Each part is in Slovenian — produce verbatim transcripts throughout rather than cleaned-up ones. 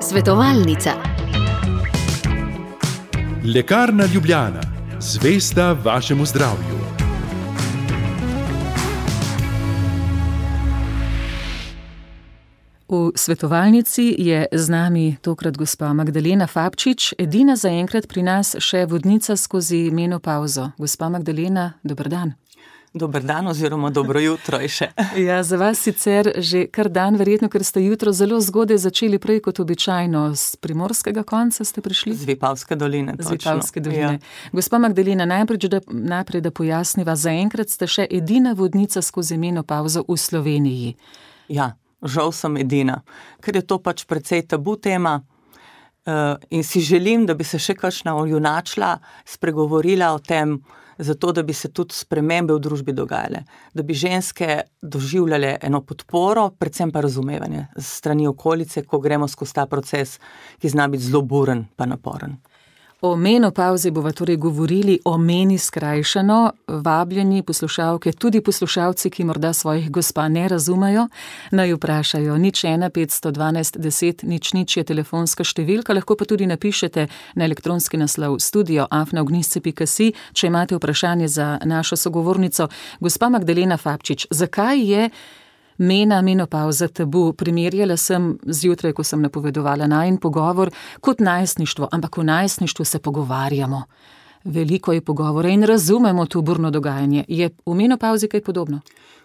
Svetovalnica. Lekarna Ljubljana, zvesta vašemu zdravju. V svetovalnici je z nami tokrat gospa Magdalena Fabčič, edina zaenkrat pri nas še vodnica skozi menopavzo. Gospa Magdalena, dober dan. Dober dan oziroma dobro jutro je še. Ja, za vas sicer že kar dan, verjetno, ker ste jutro zelo zgodaj začeli, prej kot običajno. Z primorskega konca ste prišli? Z Vipavske doline, točno. Z Vipavske doline. Ja. Gospa Magdalena, najprej da, najprej da pojasniva, zaenkrat ste še edina vodnica skozi menopavzo v Sloveniji. Ja, žal sem edina, ker je to pač precej tabu tema uh, in si želim, da bi se še kakšna junačila, spregovorila o tem, zato da bi se tudi spremembe v družbi dogajale, da bi ženske doživljale eno podporo, predvsem pa razumevanje s strani okolice, ko gremo skozi ta proces, ki zna biti zelo buren pa naporen. O menopavzi bova torej govorili, o meni skrajšano, vabljeni poslušalke, tudi poslušalci, ki morda svojih gospa ne razumejo, naj vprašajo. Nič ena petsto dvanajst deset nič nič je telefonska številka, lahko pa tudi napišete na elektronski naslov studio afna ognjisce pika si, če imate vprašanje za našo sogovornico. Gospa Magdalena Fabčič, zakaj je mena, menopavza tabu? Primerjala sem zjutraj, ko sem napovedovala najin pogovor, kot najstništvo, ampak v najstništvu se pogovarjamo. Veliko je pogovora in razumemo to burno dogajanje. Je v menopavzi kaj podobno?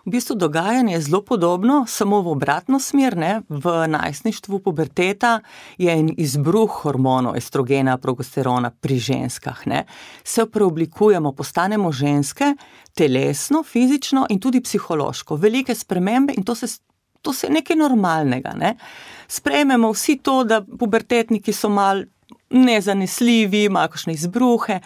V bistvu dogajanje je zelo podobno, samo v obratno smer, ne? V najstništvu puberteta je en izbruh hormonov, estrogena, progesterona pri ženskah, ne? Se preoblikujemo, postanemo ženske, telesno, fizično in tudi psihološko. Velike spremembe in to se, to se je nekaj normalnega, ne? Sprejmemo vsi to, da pubertetniki so mal nezanesljivi, imajo kakšne izbruhe.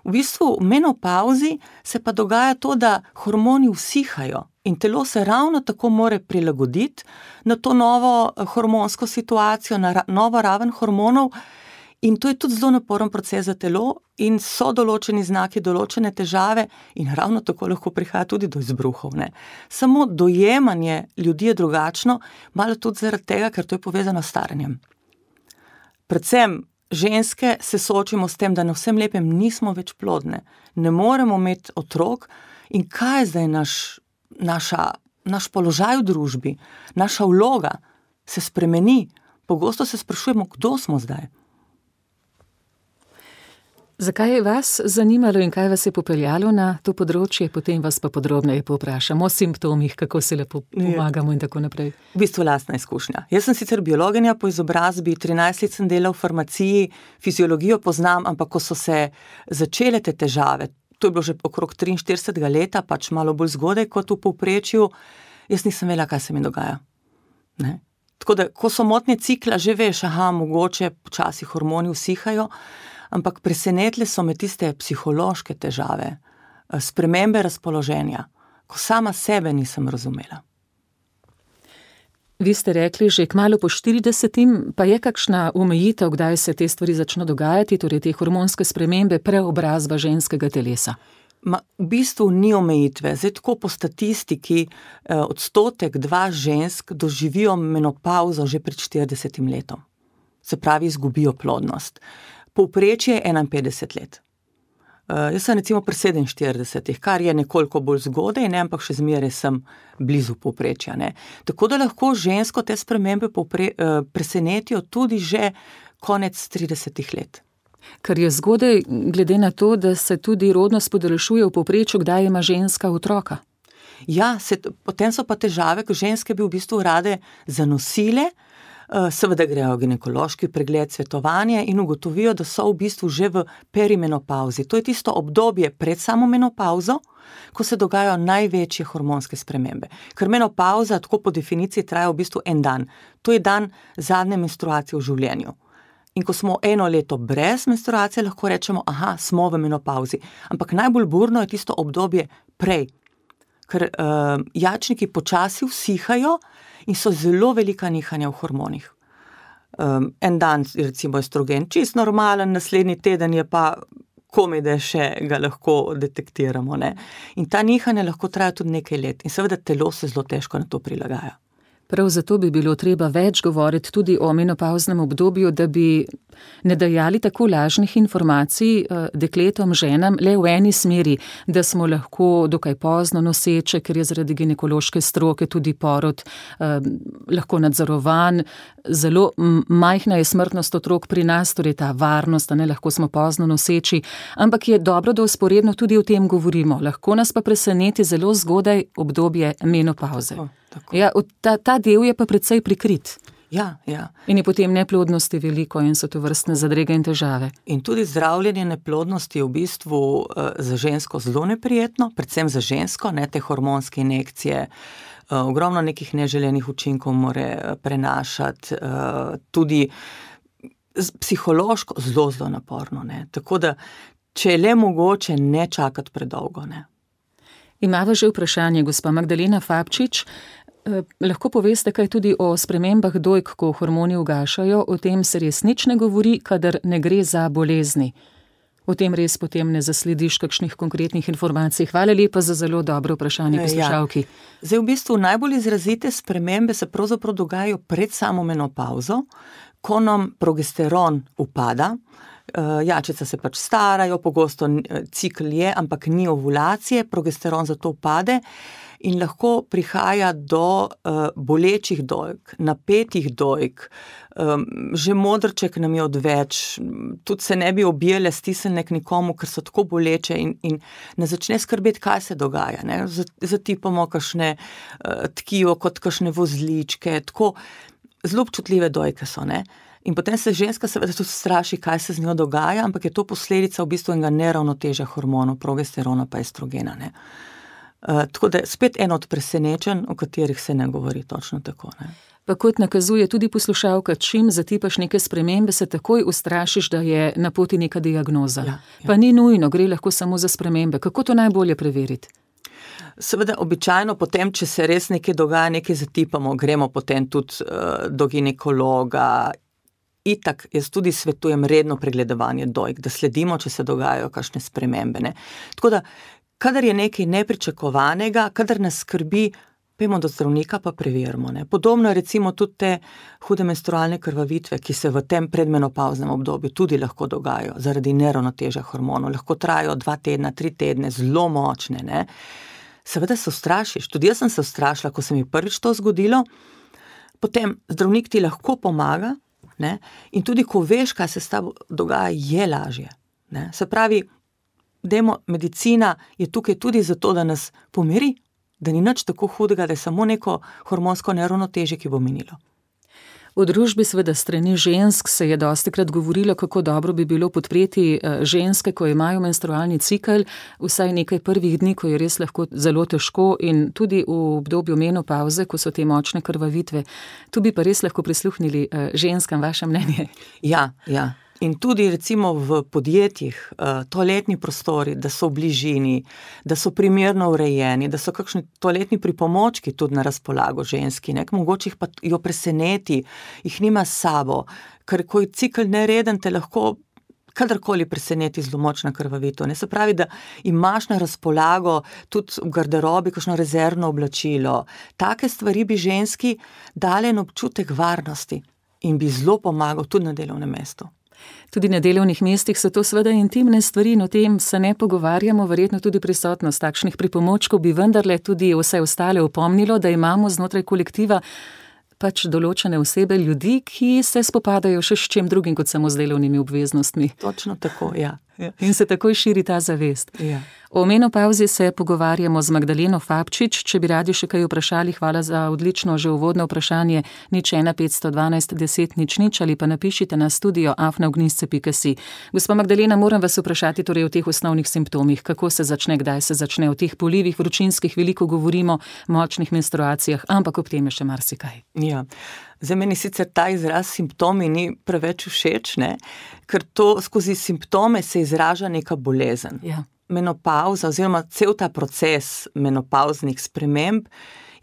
V bistvu v menopavzi se pa dogaja to, da hormoni usihajo in telo se ravno tako more prilagoditi na to novo hormonsko situacijo, na ra- novo raven hormonov, in to je tudi zelo naporen proces za telo in so določeni znaki, določene težave in ravno tako lahko prihaja tudi do izbruhov, ne. Samo dojemanje ljudi je drugačno, malo tudi zaradi tega, ker to je povezano s staranjem. Predvsem ženske se soočimo s tem, da na vsem lepem nismo več plodne, ne moremo imeti otrok in kaj je zdaj naš, naša, naš položaj v družbi, naša vloga se spremeni. Pogosto se sprašujemo, kdo smo zdaj. Zakaj je vas zanimalo in kaj vas je popeljalo na to področje, potem vas pa podrobneje povprašamo o simptomih, kako se lepo pomagamo in tako naprej. V bistvu lastna izkušnja. Jaz sem sicer biologinja po izobrazbi, trinajst let sem delal v farmaciji, fiziologijo poznam, ampak ko so se začele te težave, to je bilo že okrog triinštiridesetega leta, pač malo bolj zgodaj kot v povprečju, jaz nisem vedela, kaj se mi dogaja. Ne? Tako da, ko so motnje cikla, že veš, aha, mogoče počasi hormoni usihajo, ampak presenetile so me tiste psihološke težave, spremembe razpoloženja, ko sama sebe nisem razumela. Vi ste rekli že kmalu po štiridesetem, pa je kakšna omejitev, kdaj se te stvari začno dogajati, torej te hormonske spremembe, preobrazba ženskega telesa? Ma, v bistvu ni omejitve. Zdaj tako po statistiki eh, odstotek dva žensk doživijo menopavzo že pred štiridesetim letom. Se pravi, izgubijo plodnost. Povprečje je enainpetdeset let. Uh, jaz sem recimo pri sedeminštiridesetih, kar je nekoliko bolj zgodaj, ne, ampak še zmeraj sem blizu povprečja, ne. Tako da lahko žensko te spremembe povpre, uh, presenetijo tudi že konec tridesetih let. Kar je zgodaj, glede na to, da se tudi rodnost podaljšuje v povprečju, kdaj ima ženska otroka. Ja, se, potem so pa težave, ko ženske bi v bistvu rade zanosile, seveda grejo ginekološki pregled, svetovanje in ugotovijo, da so v bistvu že v perimenopauzi. To je tisto obdobje pred samo menopauzo, ko se dogajajo največje hormonske spremembe. Ker menopauza tako po definiciji traja v bistvu en dan. To je dan zadnje menstruacije v življenju. In ko smo eno leto brez menstruacije, lahko rečemo, aha, smo v menopauzi. Ampak najbolj burno je tisto obdobje prej. Ker uh, jajčniki počasi usihajo in so zelo velika nihanja v hormonih. Um, en dan recimo estrogen čist normalen, naslednji teden je pa komaj, da še ga lahko detektiramo, ne. In ta nihanja lahko traja tudi nekaj let in seveda telo se zelo težko na to prilagaja. Prav zato bi bilo treba več govoriti tudi o menopavznem obdobju, da bi ne dajali tako lažnih informacij dekletom, ženam, le v eni smeri, da smo lahko dokaj pozno noseče, ker je zaradi ginekološke stroke tudi porod eh, lahko nadzorovan. Zelo majhna je smrtnost otrok pri nas, torej ta varnost, da ne lahko smo pozno noseči, ampak je dobro, da vzporedno tudi o tem govorimo. Lahko nas pa preseneti zelo zgodaj obdobje menopavze. Tako, tako. Ja, ta, ta del je pa precej prikrit. Ja, ja. In je potem neplodnosti veliko in so to vrstne zadrege in težave. In tudi zdravljenje neplodnosti je v bistvu uh, za žensko zelo neprijetno, predvsem za žensko, ne, te hormonske injekcije, uh, ogromno nekih neželenih učinkov more prenašati, uh, tudi psihološko zelo, zelo naporno, ne. Tako da, če je le mogoče, ne čakati predolgo, ne. Imava že vprašanje, gospa Magdalena Fabčič. Eh, lahko poveste kaj tudi o spremembah dojk, ko hormoni ugašajo, o tem se res nič ne govori, kadar ne gre za bolezni. O tem res potem ne zaslediš kakšnih konkretnih informacij. Hvala lepa za zelo dobro vprašanje poslušalki. Ja. Zdaj v bistvu najbolj izrazite spremembe se pravzaprav dogajajo pred samo menopavzo, ko nam progesteron upada. Jačica se pač starajo, pogosto cikl je, ampak ni ovulacije, progesteron zato upade in lahko prihaja do uh, bolečih dojk, napetih dojk, um, že modrček nam je odveč, tudi se ne bi objele stisnjene k nikomu, ker so tako boleče in, in ne začne skrbeti, kaj se dogaja. Ne? Zatipamo kakšne uh, tkivo kot kakšne vozličke, tako zelo občutljive dojke so, ne. In potem se ženska seveda tudi straši, kaj se z njo dogaja, ampak je to posledica v bistvu enega neravnotežja hormonov, progesterona pa estrogena, ne. Uh, tako da je spet eno od presenečenj, o katerih se ne govori točno tako, ne. Pa kot nakazuje tudi poslušalka, čim zatipaš neke spremembe, se takoj ustrašiš, da je na poti neka diagnoza. Ja, ja. Pa ni nujno, gre lahko samo za spremembe. Kako to najbolje preveriti? Seveda, običajno potem, če se res nekaj dogaja, nekaj zatipamo, gremo potem tudi uh, do ginekologa. Itak, jaz tudi svetujem redno pregledovanje dojk, da sledimo, če se dogajajo kakšne spremembe, ne. Tako da, kadar je nekaj nepričakovanega, kadar nas skrbi, pojmo do zdravnika pa preverimo, ne. Podobno je recimo tudi te hude menstrualne krvavitve, ki se v tem predmenopavznem obdobju tudi lahko dogajajo zaradi neravnotežja hormonov, lahko trajajo dva tedna, tri tedne, zelo močne, ne. Seveda se ustrašiš, tudi jaz sem se ustrašila, ko se mi prvič to zgodilo, potem zdravnik ti lahko pomaga, ne? In tudi, ko veš, kaj se s tabo dogaja, je lažje, ne? Se pravi, dajmo, medicina je tukaj tudi zato, da nas pomiri, da ni nič tako hudega, da je samo neko hormonsko neravnotežje, ki bo minilo. V družbi seveda strani žensk se je dostikrat govorilo, kako dobro bi bilo podpreti ženske, ko imajo menstrualni cikel, vsaj nekaj prvih dni, ko je res lahko zelo težko in tudi v obdobju menopavze, ko so te močne krvavitve. Tu bi pa res lahko prisluhnili ženskam, vaše mnenje. Ja, ja. In tudi recimo v podjetjih, toaletni prostori, da so v bližini, da so primerno urejeni, da so kakšni toaletni pripomočki tudi na razpolago ženski, ne, mogoče jih pa jo preseneti, jih nima s sabo, ker ko je cikel nereden, te lahko kadarkoli preseneti zelo močna krvavitev, ne, se pravi, da imaš na razpolago tudi v garderobi kakšno rezervno oblačilo, take stvari bi ženski dale en občutek varnosti in bi zelo pomagal tudi na delovnem mestu. Tudi na delovnih mestih so to seveda intimne stvari in o tem se ne pogovarjamo, verjetno tudi prisotnost takšnih pripomočkov bi vendarle tudi vse ostale opomnilo, da imamo znotraj kolektiva pač določene osebe, ljudi, ki se spopadajo še s čem drugim kot samo z delovnimi obveznostmi. Točno tako, ja. ja. In se takoj širi ta zavest. Ja. O menopavzi se pogovarjamo z Magdaleno Fabčič. Če bi radi še kaj vprašali, hvala za odlično že uvodno vprašanje, nič ena petsto dvanajst deset nič nič ali pa napišite na studio afna ognjisce pika si. Gospa Magdalena, moram vas vprašati torej o teh osnovnih simptomih. Kako se začne, kdaj se začne? O teh polivih vročinskih veliko govorimo, močnih menstruacijah, ampak ob tem je še marsikaj. Ja. Zdaj, meni sicer ta izraz simptomi ni preveč všeč, ne? Ker to skozi simptome se izraža neka bolezen. Ja. Menopavza oziroma cel ta proces menopavznih sprememb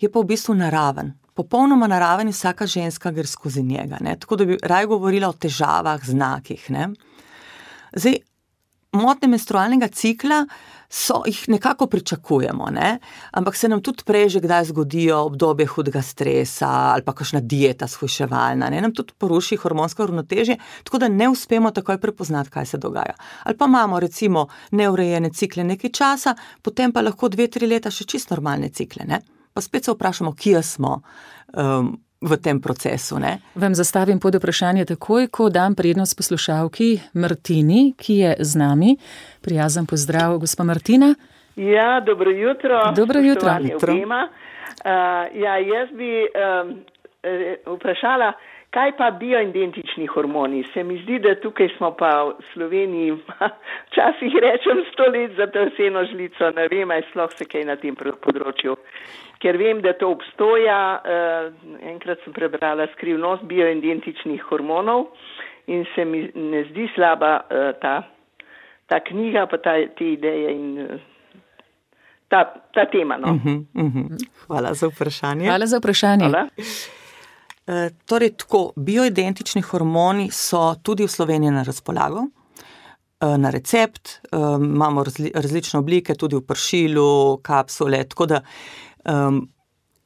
je pa v bistvu naraven. Popolnoma naraven in vsaka ženska gre skozi njega, ne? Tako da bi raje govorila o težavah, znakih, ne? Zdaj, motnje menstrualnega cikla so, jih nekako pričakujemo, ne? Ampak se nam tudi prej že kdaj zgodijo obdobje hudega stresa ali pa kakšna dieta shujševalna, ne? Nam tudi poruši hormonsko ravnotežje, tako da ne uspemo takoj prepoznati, kaj se dogaja. Ali pa imamo recimo neurejene cikle nekaj časa, potem pa lahko dve, tri leta še čisto normalne cikle, ne? Pa spet se vprašamo, kje smo um, v tem procesu, ne? Vam zastavim pod vprašanje takoj, ko dam prednost poslušalki Martini, ki je z nami. Prijazen pozdrav, gospa Martina. Ja, dobro jutro. Dobro jutro. Uh, ja, jaz bi um, vprašala, kaj pa bioidentični hormoni? Se mi zdi, da tukaj smo pa v Sloveniji, včasih rečem sto let za to seno žlico, ne vem, aj sploh se kaj na tem področju. Ker vem, da to obstoja, uh, enkrat sem prebrala Skrivnost bioidentičnih hormonov in se mi ne zdi slaba uh, ta, ta knjiga, pa ta, te ideje in uh, ta, ta tema. No. Uh-huh, uh-huh. Hvala za vprašanje. Hvala za vprašanje. Hvala. Uh, torej, tako, bioidentični hormoni so tudi v Sloveniji na razpolago. Na recept, um, imamo razli, različne oblike, tudi v pršilu, kapsule, tako da um,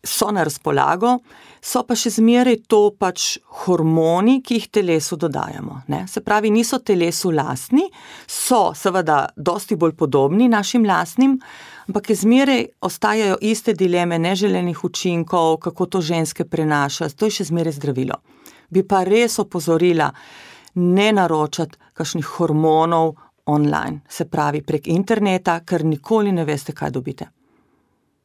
so na razpolago, so pa še zmeraj to pač hormoni, ki jih telesu dodajamo, ne? Se pravi, niso telesu lastni, so seveda dosti bolj podobni našim lastnim, ampak je zmeraj ostajajo iste dileme neželenih učinkov, kako to ženske prenaša, to je še zmeraj zdravilo. Bi pa res opozorila, ne naročati kakšnih hormonov online, se pravi prek interneta, ker nikoli ne veste, kaj dobite.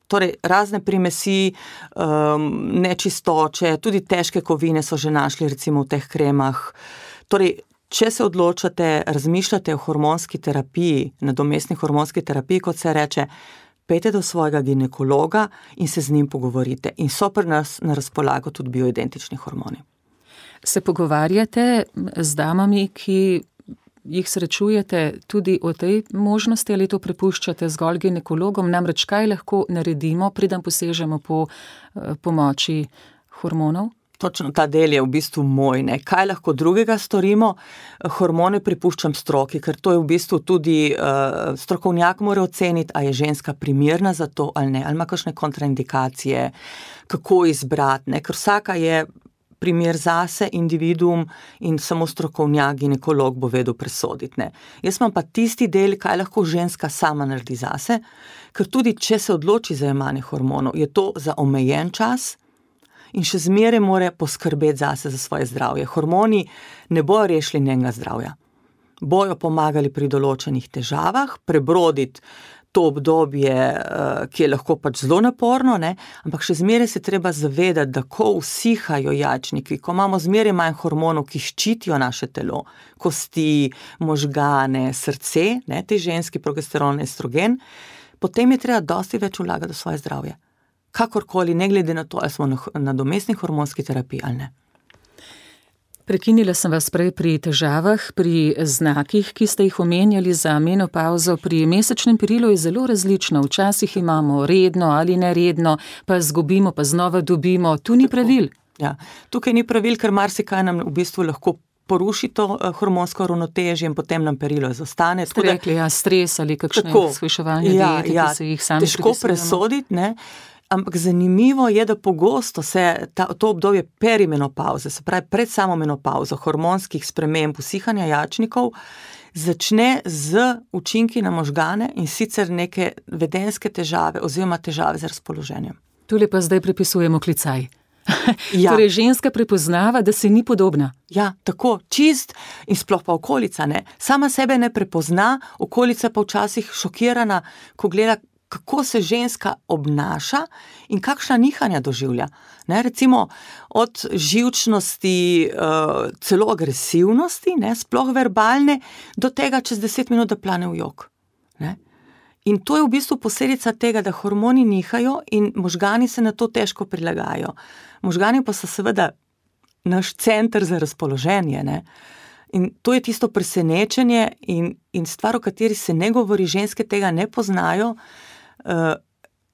Torej, razne primesi, um, nečistoče, tudi težke kovine so že našli recimo v teh kremah. Torej, če se odločate, razmišljate o hormonski terapiji, nadomestni hormonski terapiji, kot se reče, pejte do svojega ginekologa in se z njim pogovorite. In so pri nas na razpolago tudi bioidentični hormoni. Se pogovarjate z damami, ki jih srečujete tudi o tej možnosti ali to prepuščate zgolj ginekologom? Namreč kaj lahko naredimo, preden posežemo po pomoči hormonov? Točno ta del je v bistvu moj, ne. Kaj lahko drugega storimo? Hormone prepuščam stroki, ker to je v bistvu tudi uh, strokovnjak mora oceniti, a je ženska primerna za to ali ne, ali ima kakšne kontraindikacije, kako izbrati, ne, ker vsaka je primer zase, individuum in samo strokovnjak, ginekolog bo vedel presoditi, ne. Jaz imam pa tisti del, kaj lahko ženska sama naredi zase, ker tudi če se odloči za jemanje hormonov, je to za omejen čas in še zmeraj mora poskrbeti zase za svoje zdravje. Hormoni ne bojo rešili njenega zdravja. Bojo pomagali pri določenih težavah, prebroditi to obdobje, ki je lahko pač zelo naporno, ne? Ampak še zmeraj se treba zavedati, da ko usihajo jajčniki, ko imamo zmeraj manj hormonov, ki ščitijo naše telo, kosti, možgane, srce, ne? Te ženski progesteron, estrogen, potem je treba dosti več vlagati v svoje zdravje. Kakorkoli, ne glede na to, ali smo na nadomestni hormonski terapiji ali ne. Prekinila sem vas prej pri težavah, pri znakih, ki ste jih omenjali za menopavzo. Pri mesečnem perilu je zelo različno. Včasih imamo redno ali neredno, pa zgubimo, pa znova dobimo. Tu ni pravil. Ja, tukaj ni pravil, ker marsikaj nam v bistvu lahko poruši to hormonsko ravnotežje in potem nam perilo zostane. Ste rekli, ja, stres ali kakšne shujševalne ja, diete, ja, ki se jih sami težko presoditi, ne. Ampak zanimivo je, da pogosto se ta, to obdobje perimenopavze, se pravi pred samo menopavzo, hormonskih sprememb, usihanja jajčnikov, začne z učinki na možgane in sicer neke vedenjske težave oziroma težave z razpoloženjem. Tule pa zdaj prepisujemo klicaj. Ja. Torej ženska prepoznava, da se ni podobna. Ja, tako, čist in sploh pa okolica, ne. Sama sebe ne prepozna, okolica pa včasih šokirana, ko gleda, kako se ženska obnaša in kakšna nihanja doživlja. Ne, recimo od živčnosti, uh, celo agresivnosti, ne, sploh verbalne, do tega čez deset minut, da plane v jok. Ne. In to je v bistvu posledica tega, da hormoni nihajo in možgani se na to težko prilagajajo. Možgani pa so seveda naš center za razpoloženje, ne. In to je tisto presenečenje in, in stvar, o kateri se ne govori, ženske tega ne poznajo, Uh,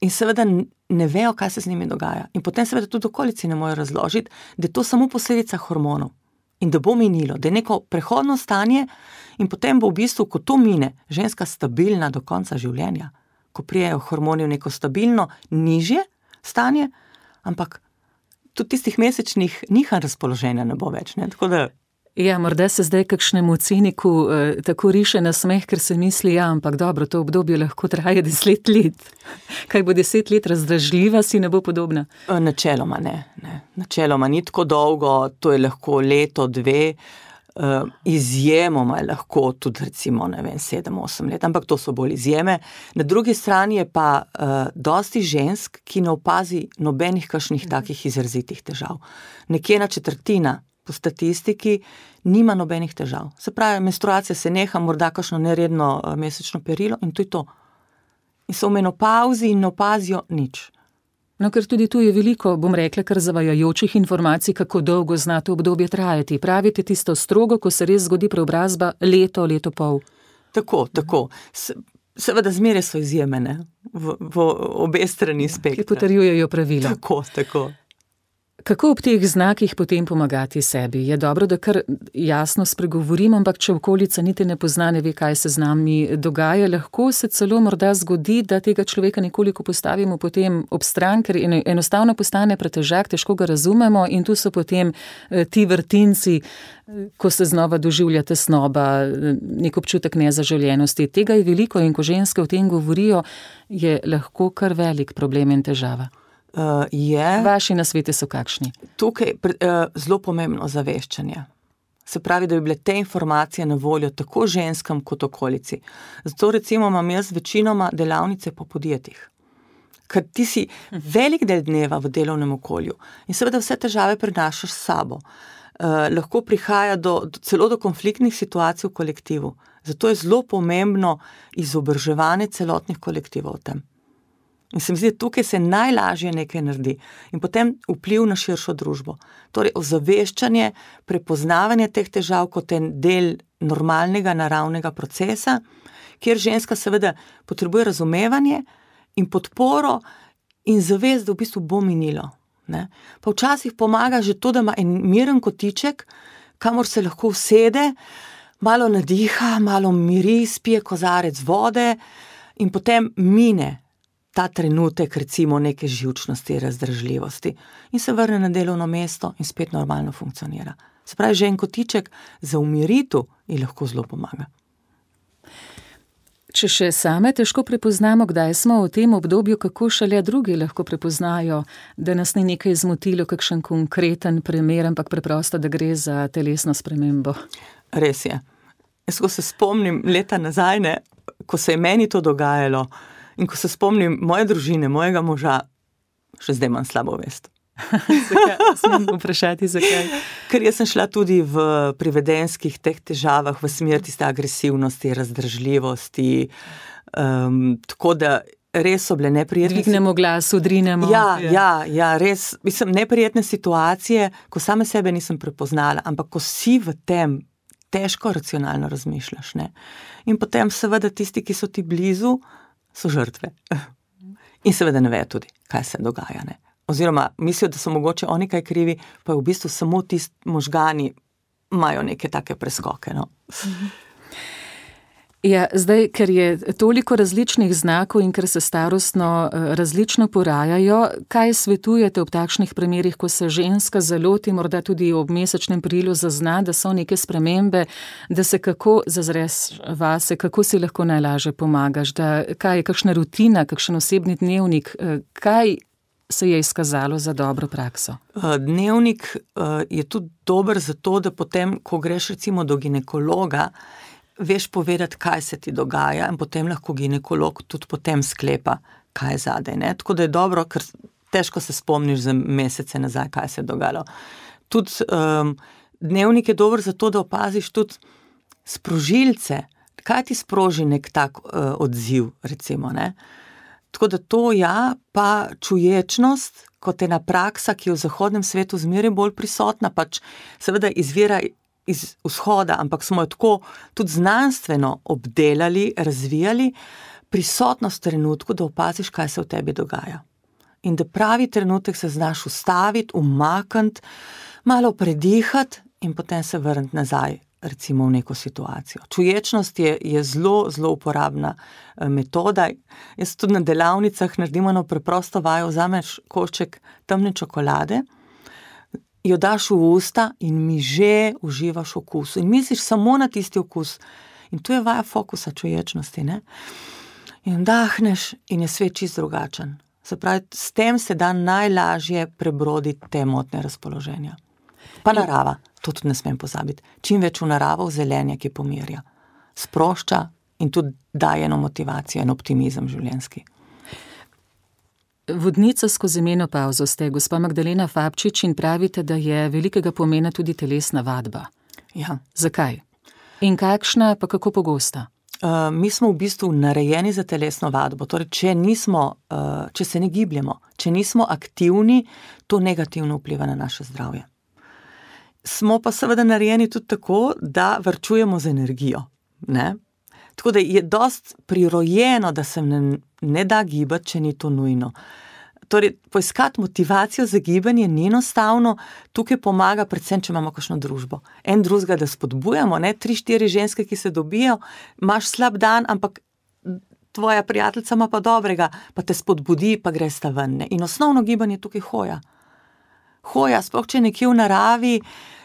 in seveda ne vejo, kaj se z njimi dogaja. In potem seveda tudi okolici ne morejo razložiti, da je to samo posledica hormonov in da bo minilo, da je neko prehodno stanje In potem bo v bistvu, ko to mine, ženska stabilna do konca življenja, ko prijejo hormoni v neko stabilno, nižje stanje, ampak tudi tistih mesečnih nihanj razpoloženja ne bo več, ne, tako da... Ja, morda se zdaj kakšnemu ciniku eh, tako riše na smeh, ker se misli, ja, ampak dobro, to obdobje lahko traja deset let. Kaj bo deset let razdražljiva, si ne bo podobna? Načeloma ne, ne. Načeloma ni tako dolgo, to je lahko leto, dve, uh, izjemoma je lahko tudi recimo, ne vem, sedem, osem let, ampak to so bolj izjeme. Na drugi strani je pa uh, dosti žensk, ki ne opazi nobenih kakšnih takih izrazitih težav. Nekje na četrtina po statistiki nima nobenih težav. Se pravi, menstruacija se neha, morda kakšno neredno mesečno perilo in to je to. In so v menopauzi in ne opazijo nič. No, ker tudi tu je veliko, bom rekla, kar zavajajočih informacij, kako dolgo zna to obdobje trajati. Pravite tisto strogo, ko se res zgodi preobrazba, leto, leto pol. Tako, tako. Se, seveda zmeraj so izjeme, ne? V, v obe strani spektra. Ki potrjujejo pravila. Tako, tako. Kako ob teh znakih potem pomagati sebi? Je dobro, da kar jasno spregovorim, ampak če okolica niti ne pozna, ne ve, kaj se z nami dogaja, lahko se celo morda zgodi, da tega človeka nekoliko postavimo potem ob stran, ker enostavno postane pretežak, težko ga razumemo in tu so potem ti vrtinci, ko se znova doživlja tesnoba, nek občutek nezaželjenosti. Tega je veliko in ko ženske o tem govorijo, je lahko kar velik problem in težava. Uh, je, Vaši nasveti so kakšni? Tukaj je uh, zelo pomembno zaveščanje. Se pravi, da bi bile te informacije na voljo tako ženskam kot okolici. Zato recimo imam jaz večinoma delavnice po podjetjih. Ker ti si velik del dneva v delovnem okolju in seveda vse težave prenašaš s sabo. Uh, lahko prihaja do, do, celo do konfliktnih situacij v kolektivu. Zato je zelo pomembno izobraževanje celotnih kolektivov o tem. In se mi zdi, tukaj se najlažje nekaj naredi in potem vpliv na širšo družbo. Torej, ozaveščanje, prepoznavanje teh težav kot en del normalnega, naravnega procesa, kjer ženska seveda potrebuje razumevanje in podporo in zavest, da v bistvu bo minilo. Ne? Pa včasih pomaga že to, da ima en miren kotiček, kamor se lahko usede, malo nadiha, malo miri, spije kozarec vode in potem mine ta trenutek recimo neke živčnosti, razdražljivosti in se vrne na delovno mesto in spet normalno funkcionira. Se pravi, že en kotiček za umiritev ji lahko zelo pomaga. Če še same težko prepoznamo, kdaj smo v tem obdobju, kako šele drugi lahko prepoznajo, da nas ni nekaj zmotilo, kakšen konkreten primer, ampak preprosto, da gre za telesno spremembo. Res je. Jaz, ko se spomnim leta nazaj, ne, ko se je meni to dogajalo, in ko se spomnim moje družine, mojega moža, še zdaj imam slabo vest. Zakaj? Smem vprašati, zakaj? Ker jaz sem šla tudi v privedenskih teh težavah, v smer tiste agresivnosti, razdražljivosti, um, tako da res so bile neprijetne. Dvignemo glas, udrinemo. Ja, ja, ja, res, mislim, neprijetne situacije, ko same sebe nisem prepoznala, ampak ko si v tem težko racionalno razmišljaš, ne. In potem seveda tisti, ki so ti blizu, so žrtve. In seveda ne vejo tudi, kaj se dogaja, ne. Oziroma, mislijo, da so mogoče oni kaj krivi, pa v bistvu samo tisti možgani imajo neke take preskoke, no. Ja, zdaj, ker je toliko različnih znakov in ker se starostno različno porajajo, kaj svetujete ob takšnih primerih, ko se ženska zaloti, morda tudi ob mesečnem perilu zazna, da so neke spremembe, da se kako zazreš vase, kako si lahko najlažje pomagaš, da kaj je kakšna rutina, kakšen osebni dnevnik, kaj se je izkazalo za dobro prakso? Dnevnik je tudi dober zato, da potem, ko greš recimo do ginekologa, veš povedati, kaj se ti dogaja in potem lahko ginekolog tudi potem sklepa, kaj je zadaj, ne. Tako da je dobro, ker težko se spomniš za mesece nazaj, kaj se je dogajalo. Tudi um, dnevnik je dober zato, da opaziš tudi sprožilce, kaj ti sproži nek tak uh, odziv, recimo, ne. Tako da to ja, pa čuječnost, kot ena praksa, ki je v zahodnem svetu zmeraj bolj prisotna, pač seveda izvira iz vzhoda, ampak smo jo tako tudi znanstveno obdelali, razvijali, prisotnost v trenutku, da opaziš, kaj se v tebi dogaja. In da pravi trenutek se znaš ustaviti, umakniti, malo predihati in potem se vrniti nazaj recimo v neko situacijo. Čuječnost je, je zelo, zelo uporabna metoda. Jaz tudi na delavnicah naredimo eno preprosto vajo, vzameš košček temne čokolade, jo daš v usta in mi že uživaš okus. In misliš samo na tisti okus. In tu je vaja fokusa čuječnosti, ne? In dahneš in je svet čist drugačen. Se pravi, s tem se da najlažje prebroditi te motne razpoloženja. Pa narava, to tudi ne smem pozabiti. Čim več v naravo, v zelenje, ki pomirja. Sprošča in tudi daje eno motivacijo, en optimizem življenjski. Vodnica skozi menopavzo ste, gospa Magdalena Fabčič, in pravite, da je velikega pomena tudi telesna vadba. Ja. Zakaj? In kakšna, pa kako pogosta? Uh, mi smo v bistvu narejeni za telesno vadbo. Torej, če nismo, uh, če se ne gibljemo, če nismo aktivni, to negativno vpliva na naše zdravje. Smo pa seveda narejeni tudi tako, da varčujemo z energijo, ne? Tako da je dost prirojeno, da se ne, ne da gibati, če ni to nujno. Torej, poiskati motivacijo za gibanje ni enostavno, tukaj pomaga predvsem, če imamo kakšno družbo. En drugega, da spodbujamo, ne, tri, štiri ženske, ki se dobijo, imaš slab dan, ampak tvoja prijateljica ima pa dobrega, pa te spodbudi, pa greš ta ven, ne. In osnovno gibanje tukaj hoja. Hoja, sploh če je nekje v naravi,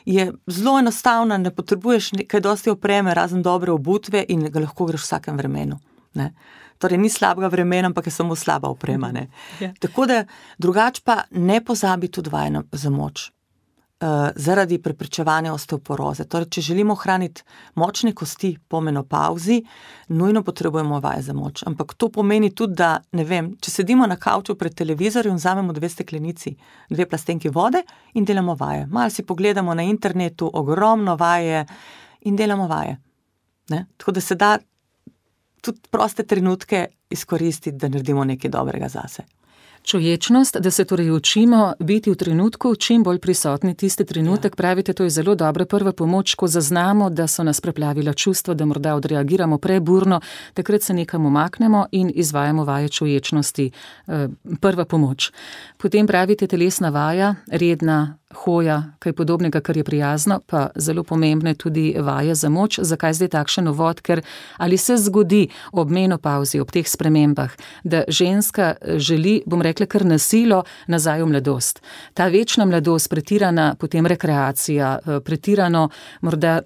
je zelo enostavna, ne potrebuješ kaj dosti opreme, razen dobre obutve in ga lahko greš v vsakem vremenu, ne. Torej, ni slabega vremena, ampak je samo slaba oprema, ne. Yeah. Tako da, drugače pa ne pozabi tudi vaje za moč. Uh, zaradi preprečevanja osteoporoze. Torej, če želimo ohraniti močne kosti po menopavzi, nujno potrebujemo vaje za moč. Ampak to pomeni tudi, da, ne vem, če sedimo na kavču pred televizorjem, vzamemo dve steklenici, dve plastenki vode in delamo vaje. Malo si pogledamo na internetu, ogromno vaje in delamo vaje. Ne? Tako da se da tudi proste trenutke izkoristiti, da naredimo nekaj dobrega zase. Čuječnost, da se torej učimo biti v trenutku čim bolj prisotni tisti trenutek, ja. Pravite, to je zelo dobra prva pomoč, ko zaznamo, da so nas preplavila čustva, da morda odreagiramo preburno, takrat se nekam umaknemo in izvajamo vaje čuječnosti. Prva pomoč. Potem pravite telesna vaja, redna hoja, kaj podobnega, kar je prijazno, pa zelo pomembne tudi vaje za moč. Zakaj zdaj takšen uvod? Ker ali se zgodi ob menopavzi, ob teh spremembah, da ženska želi, bom rekla, kar na silo nazaj v mladost. Ta večna mladost, pretirana potem rekreacija, pretirano morda,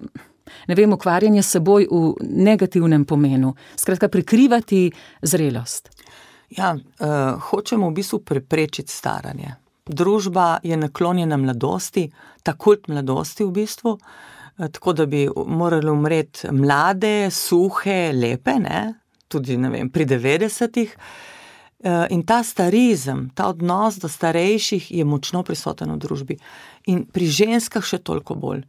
ne vem, ukvarjanje s seboj v negativnem pomenu. Skratka, prikrivati zrelost. Ja, uh, hočemo v bistvu preprečiti staranje. Družba je naklonjena mladosti, ta kult mladosti v bistvu, tako da bi morali umreti mlade, suhe, lepe, ne? Tudi, ne vem, pri devetdesetih. In ta starizem, ta odnos do starejših je močno prisoten v družbi. In pri ženskah še toliko bolj.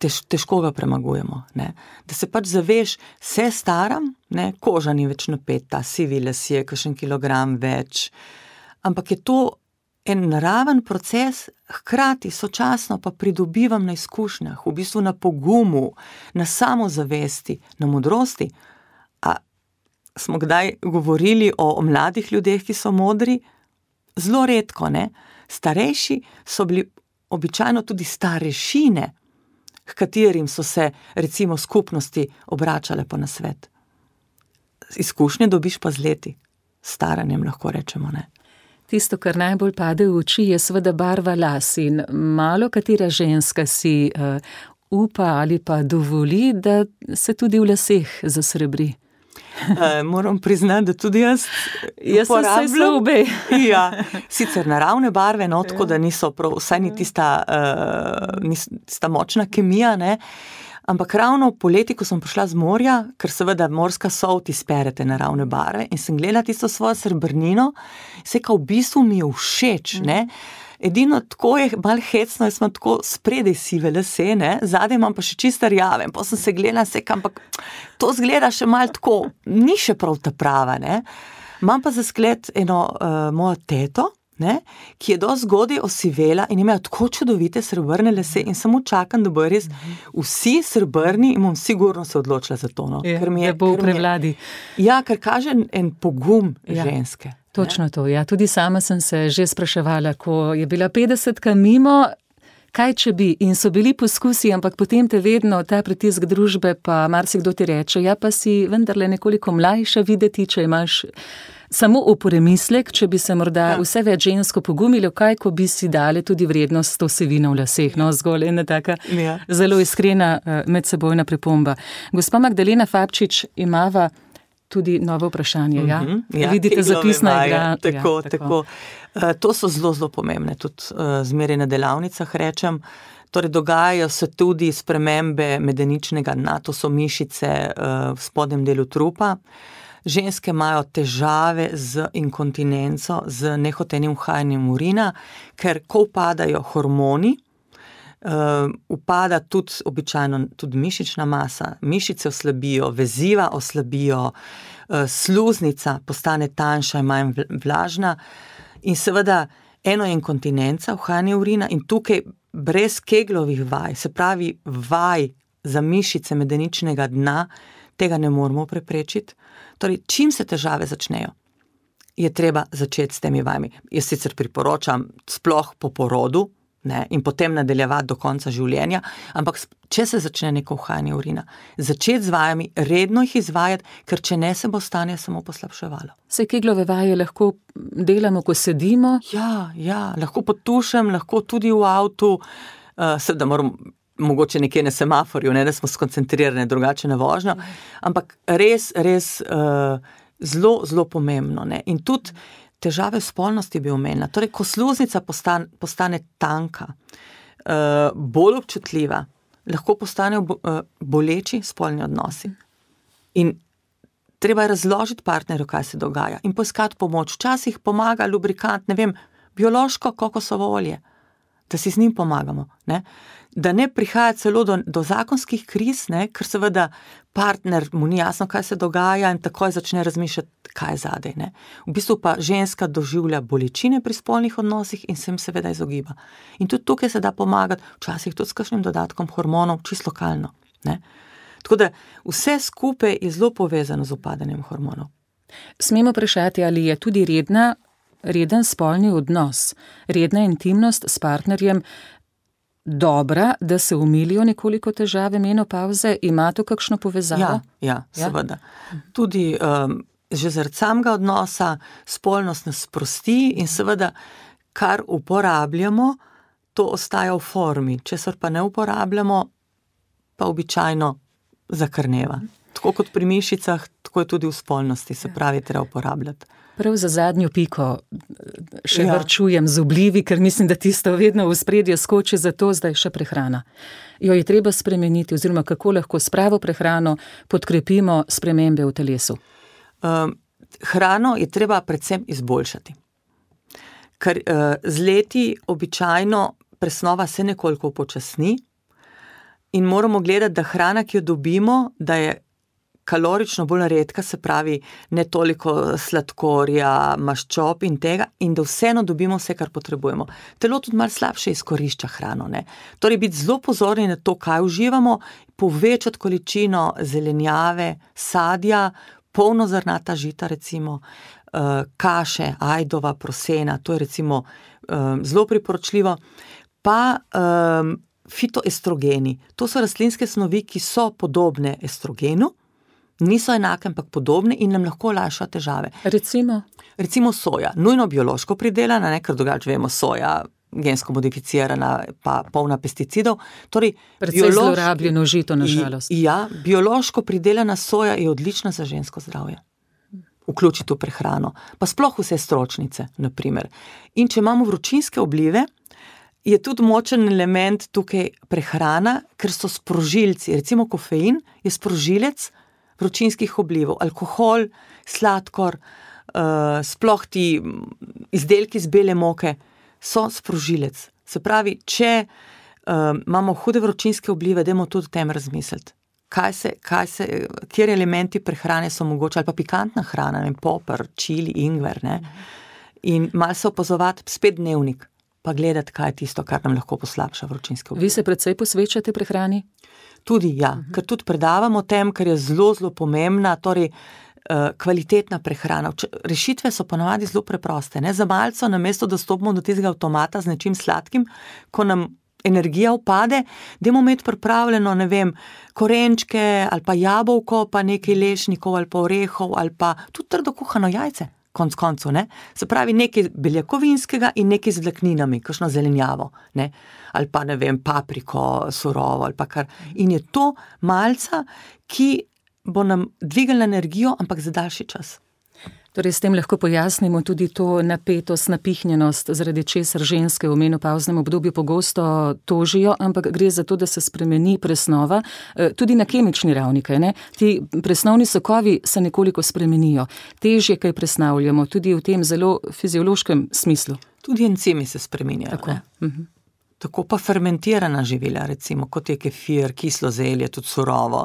Tež, težko ga premagujemo. Ne? Da se pač zaveš, se staram, ne? Koža ni več napeta, sivi lasje, kakšen kilogram več. Ampak je to en naraven proces, hkrati sočasno pa pridobivam na izkušnjah, v bistvu na pogumu, na samozavesti, na modrosti. A smo kdaj govorili o, o mladih ljudeh, ki so modri? Zelo redko, ne? Starejši so bili običajno tudi starešine, h katerim so se recimo skupnosti obračale po nasvet. Izkušnje dobiš pa z leti. Staranjem lahko rečemo, ne? Tisto, kar najbolj pade v oči, je seveda barva las in malo katera ženska si uh, upa ali pa dovoli, da se tudi v laseh zasrebri. Uh, moram priznati, da tudi jaz jaz sem se obe. Ja, sicer naravne barve, no, tako da niso prav, vsaj ni tista, uh, ni tista močna kemija, ne. Ampak ravno poleti, ko sem prišla z morja, ker seveda morska sol ti sperete naravne barve in sem gledala tisto svojo srebrnino, se kao v bistvu mi je všeč, ne. Edino tako je malo hecno, jaz imam tako spredaj sive lase, ne, zadaj imam pa še čisto rjave, pa sem se gledala, se ampak to zgleda še malo tako, ni še prav ta prava, ne. Imam pa za zgled eno uh, mojo teto, ne, ki je dosti zgodaj osivela in imajo tako čudovite srebrne lase in samo čakam, da bojo res vsi srebrni in bom sigurno se odločila za to, no. Je, ker mi je, bo v prevladi. Ja, ker kaže en pogum ja. Ženske. Točno to, ja, tudi sama sem se že spraševala, ko je bila petdesetka mimo, kaj če bi, in so bili poskusi, ampak potem te vedno ta pritisk družbe, pa marsikdo ti reče, ja, pa si vendarle nekoliko mlajša videti, če imaš samo v premislek, če bi se morda ja. vse več žensko pogumilo, kaj, ko bi si dali tudi vrednost to sevino v laseh, no, zgolj ena taka ja. zelo iskrena medsebojna pripomba. Gospa Magdalena Fabčič, imava tudi novo vprašanje, ja? Mm-hmm, ja Vidite zapisna igra. Tako, ja, tako. tako. To so zelo, zelo pomembne, tudi zmeraj na delavnicah rečem. Torej, dogajajo se tudi spremembe medeničnega dna, to so mišice v spodnjem delu trupa. Ženske imajo težave z inkontinenco, z nehotenim uhajanjem urina, ker ko upadajo hormoni, uh, upada tudi običajno tudi mišična masa, mišice oslabijo, veziva oslabijo, uh, sluznica postane tanjša in manj vlažna in seveda eno je inkontinenca, uhajanje urina in tukaj brez keglovih vaj, se pravi vaj za mišice medeničnega dna, tega ne moramo preprečiti. Torej, čim se težave začnejo, je treba začeti s temi vajami. Jaz sicer priporočam sploh po porodu, ne, in potem nadaljevati do konca življenja, ampak če se začne neko uhajanje urina, začeti z vajami, redno jih izvajati, ker če ne, se bo stanje samo poslabševalo. Se keglove vaje lahko delamo, ko sedimo? Ja, ja, lahko pod tušem, lahko tudi v avtu, uh, seveda moram mogoče nekje na semaforju, ne, da smo skoncentrirane drugače na vožnjo, ampak res, res uh, zelo, zelo pomembno. Ne. In tudi težave v spolnosti bi omenila. Torej, ko sluznica postane, postane tanka, uh, bolj občutljiva, lahko postanejo bo, uh, boleči spolni odnosi. In treba je razložiti partnerju, kaj se dogaja in poiskati pomoč. Včasih pomaga lubrikant, ne vem, biološko kokosovo olje, da si z njim pomagamo, ne? Da ne prihaja celo do, do zakonskih kriz, ne? Ker seveda partner mu ni jasno, kaj se dogaja in takoj začne razmišljati, kaj je zadej. Ne? V bistvu pa ženska doživlja bolečine pri spolnih odnosih in se jim seveda izogiba. In tudi tukaj se da pomagati, včasih tudi s kakšnim dodatkom hormonov, čisto lokalno. Ne? Tako da vse skupaj je zelo povezano z upadanjem hormonov. Smemo vprašati, ali je tudi redna reden spolni odnos, redna intimnost s partnerjem dobra, da se umilijo nekoliko težave menopavze? Ima to kakšno povezavo? Ja, ja, seveda. Ja? Tudi um, že zaradi samega odnosa spolnost nas sprosti in seveda, kar uporabljamo, to ostaja v formi. Česar pa ne uporabljamo, pa običajno zakrneva. Tako kot pri mišicah, tako je tudi v spolnosti, se pravi, treba uporabljati. Prav za zadnjo piko še ja. varčujem z oblivi, ker mislim, da tisto vedno v spredje skoči, zato zdaj še prehrana. Jo je treba spremeniti, oziroma kako lahko s pravo prehrano podkrepimo spremembe v telesu? Um, hrano je treba predvsem izboljšati. Ker uh, z leti običajno presnova se nekoliko upočasni in moramo gledati, da hrana, ki jo dobimo, da je kalorično bolj redka, se pravi ne toliko sladkorja, maščob in tega, in da vseeno dobimo vse, kar potrebujemo. Telo tudi malo slabše izkorišča hrano. Ne? Torej biti zelo pozorni na to, kaj uživamo, povečati količino zelenjave, sadja, polnozrnata žita recimo, kaše, ajdova, prosena, to je recimo zelo priporočljivo, pa um, fitoestrogeni. To so rastlinske snovi, ki so podobne estrogenu, niso enake, ampak podobne in nam lahko olajšajo težave. Recimo? Recimo soja, nujno biološko pridelana, ne, ker drugače vemo, soja gensko modificirana, pa polna pesticidov. Torej, predvsej biološ... zlorabljeno žito, na žalost. Ja, biološko pridelana soja je odlična za žensko zdravje. Vključiti v prehrano. Pa sploh vse stročnice, na primer. In če imamo vročinske oblive, je tudi močen element tukaj prehrana, ker so sprožilci. Recimo kofein je sprožilec vročinskih oblivov, alkohol, sladkor, uh, sploh ti izdelki z bele moke so sprožilec. Se pravi, če uh, imamo hude vročinske oblive, dajmo tudi o tem razmisliti. Kaj se, kaj se, kjer elementi prehrane so mogoče, ali pa pikantna hrana, ne, popr, čili, ingver, ne. In malo se opazovati, spet dnevnik, pa gledati, kaj je tisto, kar nam lahko poslabša vročinske oblive. Vi se precej posvečate prehrani? Tudi ja, uh-huh. ker tudi predavamo o tem, ker je zelo, zelo pomembna, torej uh, kvalitetna prehrana. Rešitve so ponavadi zelo preproste. Ne? Za malco, namesto da stopimo do tistega avtomata z nečim sladkim, ko nam energija upade, dajmo imeti pripravljeno, ne vem, korenčke ali pa jabolko, pa nekaj lešnikov ali pa orehov ali pa tudi trdo kuhano jajce, konc koncu, ne. Se pravi nekaj beljakovinskega in nekaj z vlakninami, kakšno zelenjavo, ne. Ali pa, ne vem, papriko surovo ali pa kar. In je to malca, ki bo nam dvignila energijo, ampak za daljši čas. Torej, s tem lahko pojasnimo tudi to napetost, napihnjenost, zaradi česar ženske v menopavznem obdobju pogosto tožijo, ampak gre za to, da se spremeni presnova, tudi na kemični ravni, kaj ne? Ti presnovni sokovi se nekoliko spremenijo, težje kaj presnavljamo, tudi v tem zelo fiziološkem smislu. Tudi encimi se spreminjajo. Tako. Uh-huh. Tako pa fermentirana živila, recimo, kot je kefir, kislo zelje, tudi surovo,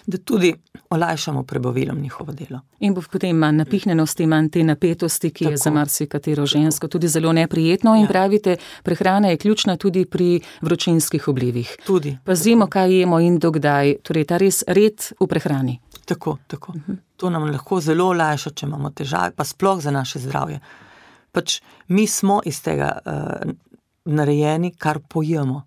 da tudi olajšamo prebavilom njihovo delo. In bo potem manj napihnjenosti, manj te napetosti, ki Tako. je za marsikatero žensko tudi zelo neprijetno. In ja. pravite, prehrana je ključna tudi pri vročinskih oblivih. Tudi. Pazimo, kaj jemo in dokdaj, torej ta res red v prehrani. Tako, tako. Uh-huh. To nam lahko zelo olajša, če imamo težave, pa sploh za naše zdravje. Pač mi smo iz tega uh, narejeni, kar pojemo.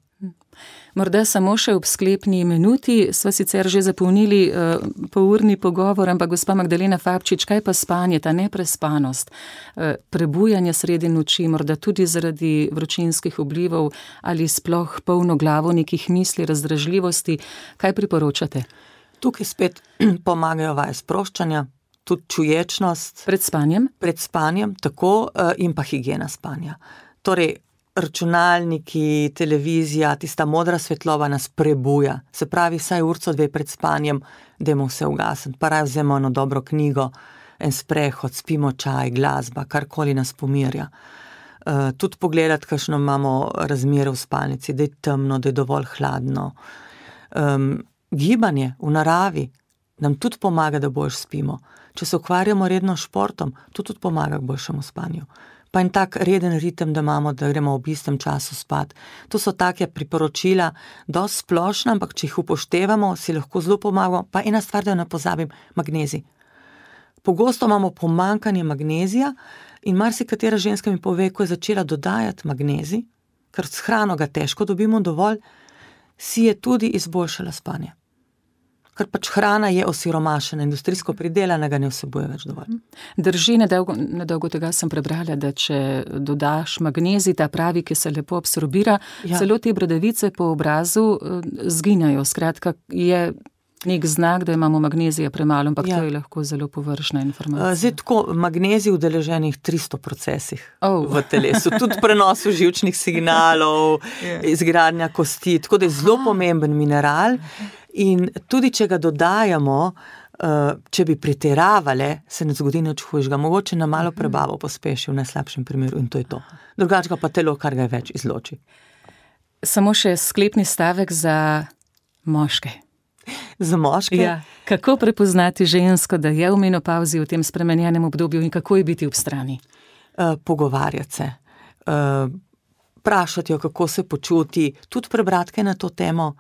Morda samo še ob sklepni minuti, sva sicer že zapolnili uh, polurni pogovor, ampak gospa Magdalena Fabčič, kaj pa spanje, ta neprespanost, uh, prebujanje sredi noči, morda tudi zaradi vročinskih oblivov ali sploh polno glavo nekih misli, razdražljivosti, kaj priporočate? Tukaj spet pomagajo vaje sproščanja, tudi čuječnost. Pred spanjem? Pred spanjem, tako, uh, in pa higiena spanja. Torej, računalniki, televizija, tista modra svetloba nas prebuja. Se pravi, vsaj urco dve pred spanjem, dajmo vse ugasniti. Pa raje vzemo eno dobro knjigo, en sprehod, spimo čaj, glasba, karkoli nas pomirja. Uh, tudi pogledati, kakšno imamo razmere v spalnici, da je temno, da je dovolj hladno. Um, gibanje v naravi nam tudi pomaga, da boljš spimo. Če se ukvarjamo redno športom, to tudi pomaga k boljšemu spanju. Pa en tak reden ritem, da imamo, da gremo ob istem času spat. To so take priporočila, dosti splošna, ampak če jih upoštevamo, si lahko zelo pomagamo. Pa ena stvar, da ne pozabim, magnezij. Pogosto imamo pomanjkanje magnezija in marsikatera ženska mi pove, ko je začela dodajati magnezij, ker s hrano ga težko dobimo dovolj, si je tudi izboljšala spanje. Ker pač hrana je osiromašena, industrijsko pridelana, ga ne vsebuje več dovolj. Drži, nedolgo, nedolgo tega sem prebrala, da če dodaš magnezij, ta pravi, ki se lepo absorbira, ja. celo te bradavice po obrazu zginjajo. Skratka, je nek znak, da imamo magnezija premalo, ampak ja. to je lahko zelo površna informacija. Zdaj tako, magnezij udeleženih tristo procesih oh. v telesu, tudi prenosu živčnih signalov, yeah. izgradnja kosti, tako da je zelo pomemben mineral. In tudi, če ga dodajamo, če bi pretiravale, se ne zgodi nič hujšega. Mogoče na malo prebavo pospeši v najslabšem primeru in to je to. Drugače pa telo, kar ga več izloči. Samo še sklepni stavek za moške. Za moške? Ja. Kako prepoznati žensko, da je v menopavzi v tem spremenjenem obdobju in kako je biti ob strani? Uh, pogovarjati se. Uh, vprašati jo, kako se počuti, tudi prebrati kaj na to temo.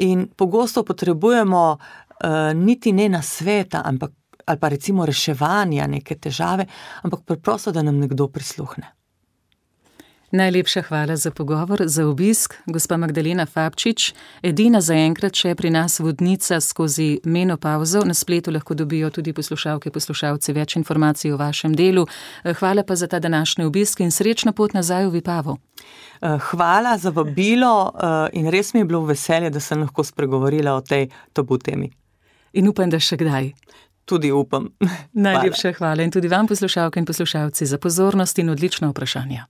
In pogosto potrebujemo uh, niti ne nasveta, ampak, ali pa recimo reševanja neke težave, ampak preprosto, da nam nekdo prisluhne. Najlepša hvala za pogovor, za obisk, gospa Magdalena Fabčič, edina zaenkrat še pri nas vodnica skozi menopavzo. Na spletu lahko dobijo tudi poslušalke, poslušalci več informacij o vašem delu. Hvala pa za ta današnji obisk in srečno pot nazaj v Vipavo. Hvala za vabilo in res mi je bilo veselje, da sem lahko spregovorila o tej tabu temi. In upam, da še kdaj. Tudi upam. Najlepša hvala. hvala in tudi vam, poslušalke in poslušalci, za pozornost in odlična vprašanja.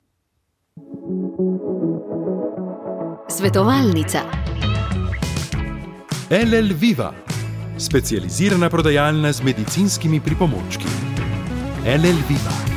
Svetovalnica. L L Viva, specializirana prodajalna z medicinskimi pripomočki. L L Viva.